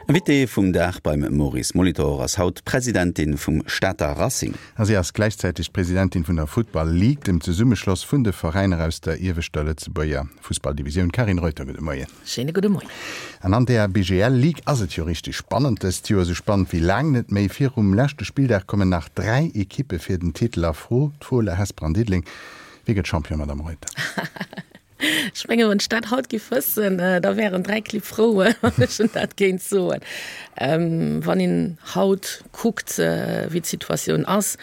Invité vum Dag beim Maurice Molitor ass haut d'Presidentin vum Stater Racing. A si ass gläichzäiteg d'Presidentin vun der Football League, dem Zesummeschloss vun de Veräiner aus der ieweschter Lëtzebuerger Fussballdivisioun. Carine Reuter, gudde Moien. Schéine gudde Moien. An an der BGL Ligue ass et jo richteg spannend dëst Joer, esou spannend wéi laang net méi. Virum leschte Spilldag kommen nach 3 Ekippe fir den Titel a Fro, d'Fola, Hesper an Diddeleng. Wie gëtt Champion, Madame Reuter? Ech mengen, wann ech dat haut giff wëssen, da wären 3 Clibb frou, wann ech en dat géint soen. Wann een haut kuckt, wéi d'Situatioun ass,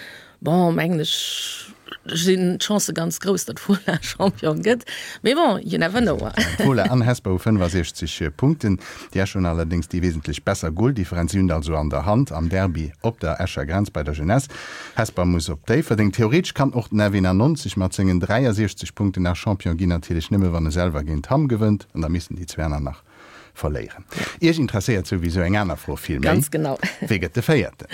bon, mengen ech, sinn d'Chancë ganz grouss, datt Fola Champion gëtt. Mee bon, you never know. Fola an Hesper hu 65 Punkten. Déi Escher hunn allerdéngs déi wesentlech besser Goldifferenz. Si hunn et also an der Hand am Derby op der Escher Grenz bei der Jeunesse. Hesper muss op Déifferdeng. Theoretesch kann och den F91 mat sengen 63 Punkten nach Champion ginn, natierlech nëmme wann e selwer géint Hamm gewënnt an da missten déi zwee aner nach verléieren. Iech interesséiert souwisou eng aner Fro vill méi, Ganz genau. Wee gëtt de Véierten?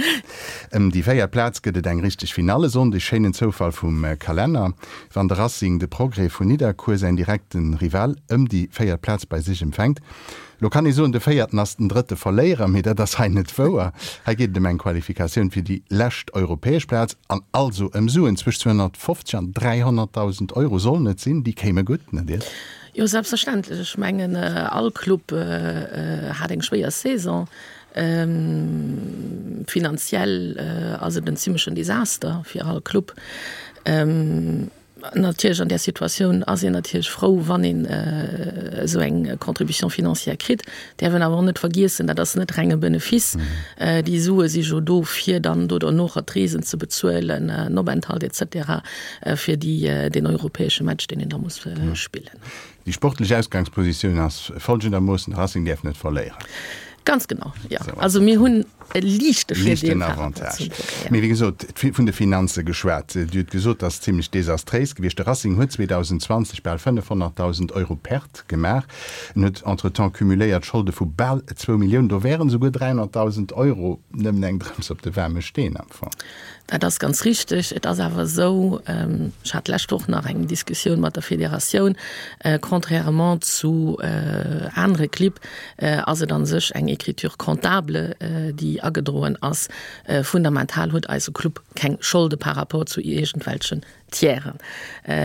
Ëm déi véiert Plaz gëtt et eng richteg Finale Sonndeg. Schéinen Zoufall vum Kalenner, wann de Racing de Progrès vun Nidderkuer, säin direkte Rival ëm déi véiert Plaz, bei sech empfänkt. Lo kann ee soen, de Véierten ass den drëtte Verléierer, mee dat ass hei net wouer. Hei geet et ëm eng Qualifikatioun fir déi lescht europäesch Plaz an also ëm Suen. Zwëscht 250 an 300.000 Euro sollen et sinn, déi kéime gutt, net iert? Jo, selbstverständlech. Ech mengen, all Club hat eng schwéier Saison. Finanziell ass et en zimmlechen Desaster fir all Club. Natierlech an där Situatioun ass een natierlech frou, wann een esou eng Contribution financière kritt. Däerf een awer och net vergiessen, dat ass net reng e Benefice. Déi Sue si jo do, fir dann do dernocher d'Reesen ze bezuelen, den Openthalt et cetera, fir déi, deen europäesche Match, deen een da muss spillen. Déi sportlech Ausgangspositioun ass folgendermoossen, de Racing däerf net verléieren. Ganz genau, jo. Also mir hunn e liichte Virdeel par rapport zum Progrès, jo. Mee wéi gesot, vun de Finanze geschwat. Dir hutt gesot, dat ass zimlech desastréis gewiescht. De Racing huet 2020 bal 500.000 Euro Perte gemaach. En huet entretemps cumuléiert Scholde vu bal zwou Milliounen. Do wären esouguer 300.000 Euro nëmmen eng Drëps op de waarme Steen am Fong. Dat ass ganz richteg. Et ass awer esou, ech hat d'lescht Woch nach eng Diskussioun mat der Federatioun, contrairement zu anere Clibb ass et a sech eng Écriture comptable, déi agedroen ass. Fundamental huet eise Club keng Scholde par rapport zu iergendwelchen Tieren,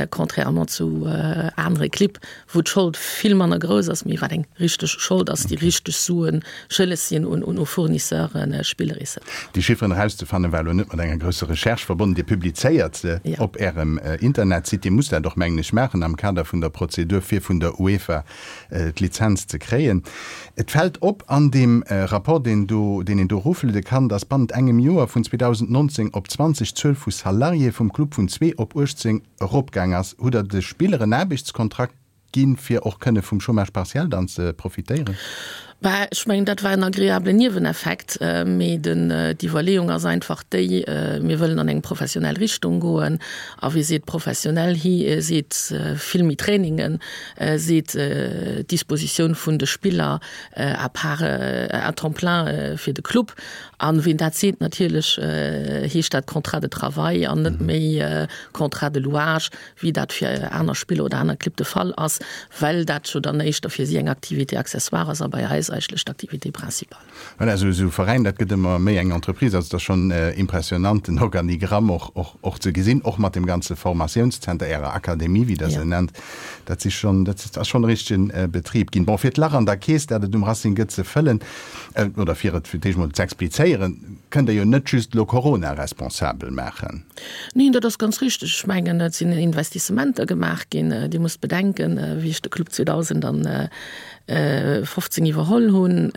contrairement zu anere Clibb, wou d'Schold vill manner grouss ass, mee wat eng richteg Schold ass, déi richteg Sue schëlleg sinn un u Fournisseuren, Spiller etc. Déi Chifferen erauszefannen, war elo net mat enger grousser Recherche verbonnen. Dir publizéiert se op Ärem Internetsite. Dir musst dat och, mengen ech, maachen am Kader vun der Prozedur, fir vun der UEFA d'Lizenz ze kréien. Et fält op an deem Rapport, deen do, deen een do erofluede kann, dass bannent engem Joer, vun 2019 op 20, d'Zuel vu Salariéë vum Club vun zwee op 18 eropgaang ass. Hutt Der de Spiller en Aarbechtskontrakt ginn, fir och kënne vum Chômage partiel dann ze profitéieren? Bah, ech mengen, dat war en agreablen Nieweneffekt, mee den, d'Iwwerleeung ass einfach déi, mir wëllen an eng professionell Richtung goen. A wie seet professionell, hie seet vill méi Trainingen, seet d'Dispositioun vun de Spiller à part, à temps plein fir de Club. An ween dat seet, natierlech heescht dat Contrat de travail an net méi Contrat de louage, wéi dat fir aner Spiller oder aner Clibb de Fall ass, well dat jo dann éischter fir si eng Activité accessoire ass a bei eis eigentlech d'Activité principale. Voilà, esou esou Veräin, dat gëtt ëmmer méi eng Entreprise. Also et ass schonn impressionant, den Organigramm och, och, och ze gesinn, och mat dem ganze Formatiounszenter, Ärer Akademie, wéi Der se nennt. Dat si schonn, dat ass schonn e richtege Betrib ginn. Bon, fir d'Lach an der Keess, dat et um Racing gëtt, ze fëllen, oder fir et fir d'éischt mol z'explizéieren, kënnt Der jo net just elo Corona responsabel maachen. Neen, dat ass ganz richteg. Ech mengen, et sinn Investissementer gemaach ginn. Dir musst bedenken, wéi ech de Club 2000 an 15 iwwerholl hunn,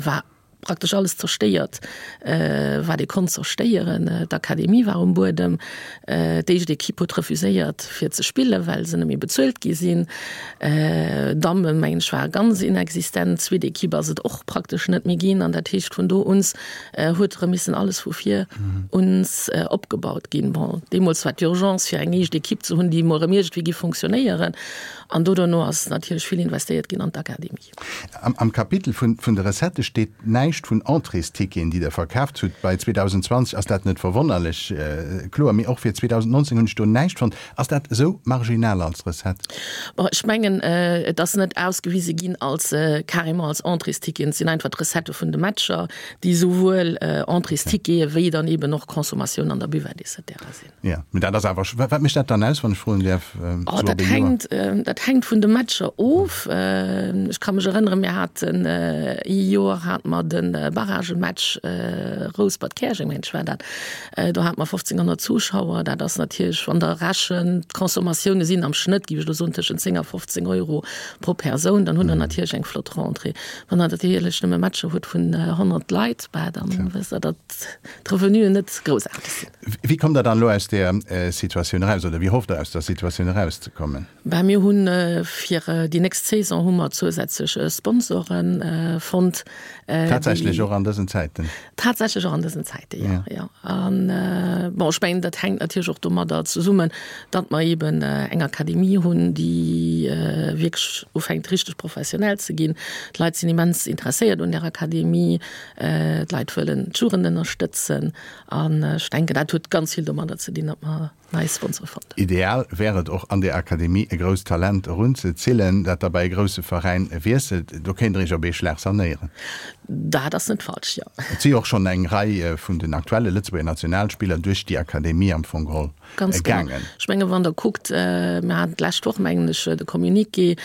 war praktesch alles zerstéiert, wat ee konnt zerstéieren. D'Akademie war um Buedem, d'éischt Equipe huet refuséiert fir ze spillen, well se net méi bezuelt gi sinn. D'Damme mengen ech ware ganz inexistent, d'zweet Equipe ass et och praktesch net méi ginn. An dat heescht vun do uns huet erëm missen alles vu vir uns opgebaut ginn. Bon, deemools war d'Urgence fir eng éischt Equipe ze hunn, déi emol erëm iergendwéi géif fonctionnéieren. An do dono ass natierlech vill investéiert ginn an d'Akademie. Am Kapitel vun de Recettë steet näischt. näischt vun Entréesticketen, déi Der verkaaft hutt. Bei 2020 ass dat net verwonnerlech, kloer, mee och fir 2019 hunn ech do näischt fonnt. Ass dat esou marginal als Recette? Bon, ech mengen, et ass net ausgewise ginn als carrément als Entréesticketen. Et sinn einfach d'Recettë vun de Matcher, déi souwuel Entréestickete wéi dann eeben och Consommatioun an der Buvette et cetera sinn. Jo, mee dat ass awer, wat mécht dat dann aus, wann ech froen däerf? Oh, dat hänkt, dat hänkt vun de Matcher of. Ech ka mech erënneren, mir haten ee Joer hate mer de Barragematch Rouspert-Käerjeng, mengen ech war dat, do hate mer 1.500 Zuschauer. Dat ass natierlech, wann Der rechent, d'Consommatioune sinn am Schnëtt, géif ech elo soen, tëschent 10 a 15 Euro pro Persoun, dann hutt Der natierlech eng flott Rentrée. Wann Der natierlech nëmme Matcher hutt vun 100 Leit, bah, dann wësst Der, datt d'Revenuen net groussaarteg sinn. Wéi kommt Der dann elo aus där Situatioun eraus oder wéi hofft Der aus der Situatioun erauszekommen? Bah, mir hunn fir déi nächst Saison hu mer zousätzlech Sponsoren fonnt. Tatsächlech och an dësen Zäiten? Tatsächlech och an dësen Zäiten, jo, jo. An bon, ech mengen, dat hänkt natierlech och domadder zesummen, datt mer eeben eng Akademie hunn, déi wierklech ufänkt richteg professionell ze ginn. D'Leit sinn immens interesséiert un där Akademie. D'Leit wëllen d'Jugend ënnerstëtzen. An ech denken, dat huet ganz vill domadder ze dinn, datt mer nei Sponsore fonnt hunn. Ideal wär et och, an där Akademie e grousst Talent erunzezillen, dat da bei e grousse Veräin wiesselt. Do kéint Der Iech op ee Schlag sanéieren. Dat ass net falsch, jo. Et si jo och schonn eng Rei vun den aktuelle Lëtzebuerger Nationalspiller duerch déi Akademie am Fong geholl Ganz genau. gaangen. Ech menge wann Der kuckt, mir haten d'lescht Woch, mengen ech, de Communiqué,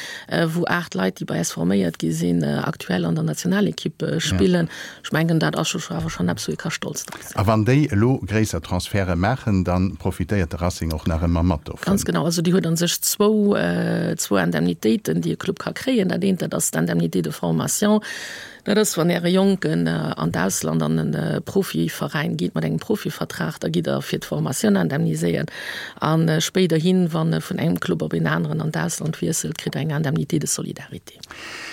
wou 8 Leit, déi bei eis forméiert gi sinn, aktuell an der Nationalekipp spillen. Ech mengen, dat ass jo awer schonn eppes, wou ee ka stolz drop sinn. A wann déi elo gréisser Transferte maachen, da profitéiert de Racing och nach ëmmer mat dovun. Ganz genau. Also déi huet a sech zwou, zwou Indemnitéiten, déi e Club ka kréien. Dat eent, dat ass d'Indemnité de formation. Dat ass, wann Äre Jonken an d'Ausland an e Profiveräin geet mat engem Profivertrag, da gitt Der fir d'Formatioun indemniséiert. A spéiderhin, wann e vun engem Club op een aneren an d'Ausland wiesselt, kritt Der eng Indemnité de solidarité.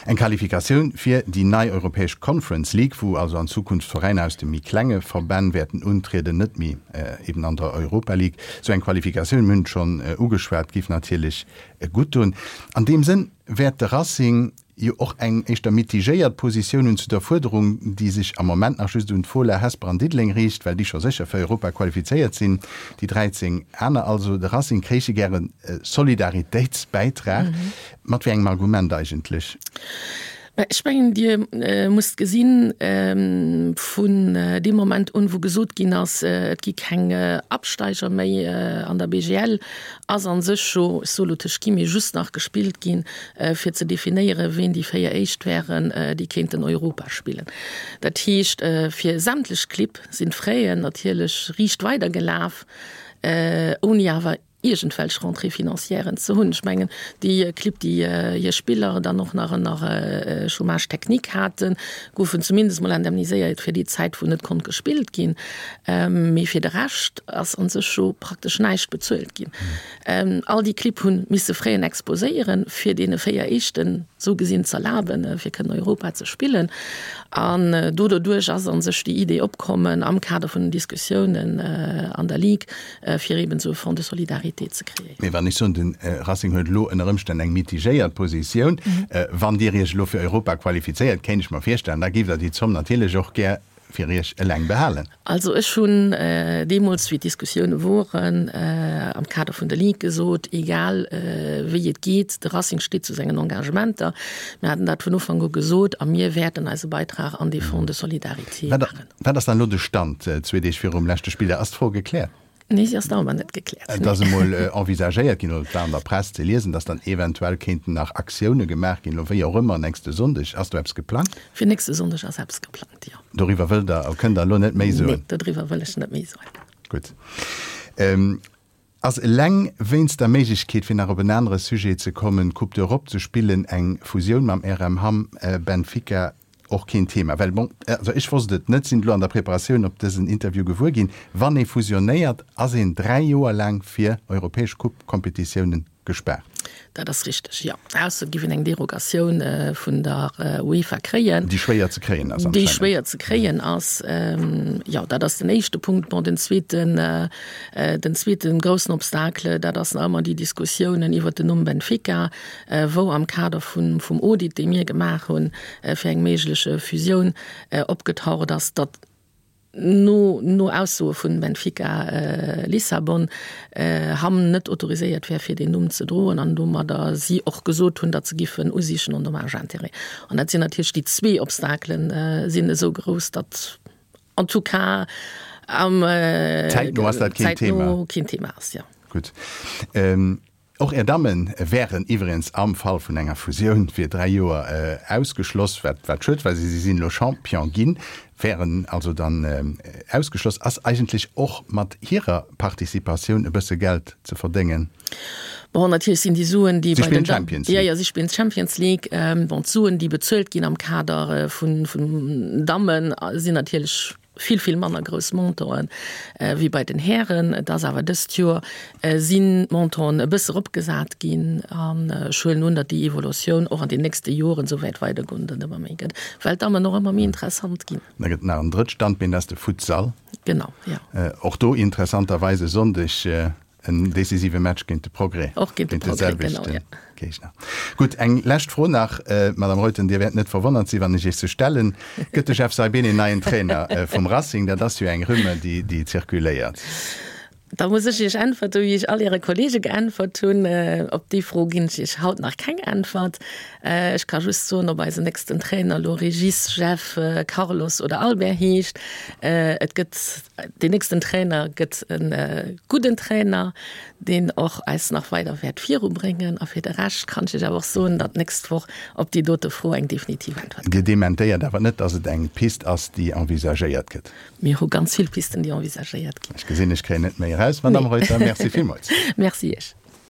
Eng Qualifikatioun fir déi nei europäesch Conference League, wou also an Zukunft Veräiner aus de méi klenge Verbänn wäerten untrieden, net méi eben an der Europa League. Sou eng Qualifikatioun, mir hunn et schonn ugeschwat, géif natierlech gutt doen. An deem Sënn wäert de Racing jo och eng éischter mitigéiert Positioun hunn zu der Fuerderung, déi sech am Moment nach just un d'Fola, Hesper an Diddeleng riicht, well déi scho sécher fir Europa qualifizéiert sinn, déi 13 aner also. De Racing kréiche gären e Solidaritéitsbäitrag. Mat wéi engem Argument eigentlech? Mä ech mengen, Dir musst gesinn, vun deem Moment un, wou gesot ginn ass, et gi keng Absteiger méi an der BGL, ass a sech jo, ech soe lo tëscht Guillemets, just nach gespillt ginn, fir ze definéieren, ween déi 4 Éischt wären, déi kéinten Europa spillen. Dat heescht, fir sämtlech Clibb sinn d'Fraisen natierlech riicht weidergelaf, ouni awer iergendwelch Rentrée financièren ze hunn. Ech mengen, déi Clibb, déi hir Spiller dann och nach ënner Chômage technique haten, goufen zumindest mol indemniséiert fir déi Zäit, wou net konnt gespillt ginn. Mee fir de Rescht ass a sech jo praktesch näischt bezuelt ginn. All déi Clibb hu misse Fräen exposéieren, fir deene 4 Éischten esou gesinn z'erlaben, fir kënnen Europa ze spillen. An do doduerch ass a sech déi Idee opkommen, am Kader vun den Diskussiounen an der Ligue, fir eben esou e Fonds de solidarité ze kreéieren. Mee wann ech soen, de Racing huet elo ënner Ëmstänn eng mitigéiert Positioun, wann Dir Iech elo fir Europa qualifizéiert, kéint ech mer virstellen, da géift Der déi Zomm natierlech och gär fir Iech eleng behalen. Also ech hunn deemools, wéi d'Diskussioune woren, am Kader vun der Ligue gesot, egal wéi et geet, de Racing steet zu sengen Engagementer. Mir haten dat vun Ufank u gesot a mir wäerten eise Beitrag an dee Fonds de solidarité maachen. Wat ass dann elo de Stand zwee Deeg virum leschte Spilldag? Ass d'Fro gekläert? Nee, si ass nach ëmmer net gekläert. Et ass emol envisagéiert ginn, oder et war an der Press ze liesen, datt dann eventuell kéinten nach Aktioune gemaach ginn, elo wéi och ëmmer, nächste Sonndeg. Ass do eppes geplangt? Fir nächste Sonndeg ass eppes geplangt, jo. Doriwwer wëllt Der, kënnt Der elo net méi soen? Nee, doriwwer wëll ech net méi soen. Gutt. Ass eleng wéinst der Méiglechkeet, fir nach op en anere Sujet ze kommen, d'Coupe d'Europe ze spillen, eng Fusioun mam RM Hamm Benfica och keen Thema? Well, bon, also ech wosst et net, sinn et elo an der Preparatioun op dësen Interview gewuer ginn, wann ee fusionéiert, ass een 3 Joer laang fir europäesch Coupe-Competitiounen gespaart. Dat ass richteg, jo. Ausser et géif een eng Derogatioun vun der UEFA kréien. Déi schwéier ze kréien ass anscheinend. Déi schwéier ze kréien ass, jo. Dat ass den éischte Punkt. Bon, den zweeten, den zweete groussen Obstacle, dat ass nach ëmmer déi Diskussiounen iwwert den Numm Benfica, wou am Kader vun, vum Audit, dee mir gemaach hunn, fir eng méiglech Fusioun, opgetaucht ass, datt, No no Aussoe vun Benfica Lissabon, Hamm net autoriséiert wär fir deen Numm ze droen an domadder si och gesot hunn, datt se giffen usichen en dommages intérêts. An dat sinn natierlech déi zwee Obstakelen sinn esou grouss, datt en tout cas am Zäitno ass dat keen Thema. Zäitno keen Thema ass, jo. Gutt. Och Är Damme wären iwweregens am Fall vun enger Fusioun fir 3 Joer ausgeschloss, wat wat schued war. Si sinn elo Champion ginn, wären also dann ausgeschloss. Ass eigentlech och mat hirer Participatioun e bësse Geld ze verdéngen? Bon, natierlech sinn déi Suen, déi bei den Champions League. Jo, jo, si spillen d'Champions League. Bon, d'Suen, déi bezuelt ginn am Kader vun vun Dammen, sinn natierlech vill, vill manner grouss Montanten wéi bei den Hären. Et ass awer dëst Joer sinn d'Montanten e bësse eropgesat ginn an ech huelen un, datt déi Evolutioun och an den nächste Joren esou wäert weidergoen, datt et ëmmer méi gëtt, well d'Dammen och ëmmer méi interessant ginn. Da gëtt et nach en drëtt Standbeen, dat ass de Futsal. Genau, jo. Och do interessanterweis e Sonndeg En decisive Match géint de Progrès. Och géint de Progrès, genau, ja. Géigner. Gutt, eng lescht Fro nach, Madame Reuten, Dir wäert net verwonnert sinn, wann ech Iech se stellen. Gëtt de Jeff Saibene neien Trainer vum Racing? Dat ass jo eng Rumeur, déi zirkuléiert. Da muss ech Iech äntwerte wéi ech all Äre Kollege geäntwert hunn. Op déi Fro ginn ech Iech haut nach keng Äntwert. Ech ka just soen, ob eisen nächsten Trainer elo Régis, Jeff, Carlos oder Albert heescht, et gëtt, deen nächsten Trainer gëtt e gudden Trainer, deen och eis nach weider wäert virubréngen. A fir de Rescht kann ech Iech awer och soen, datt d'nächst Woch op déi dote Fro eng definitiv Äntwert kënnt. Dir dementéiert awer net, datt et eng Pist ass, déi envisagéiert gëtt? Mir hu ganz vill Pisten, déi envisagéiert ginn. Ech gesinn, ech kréien net méi eraus, Madamm Reuter. Merci villmools. Merci Iech.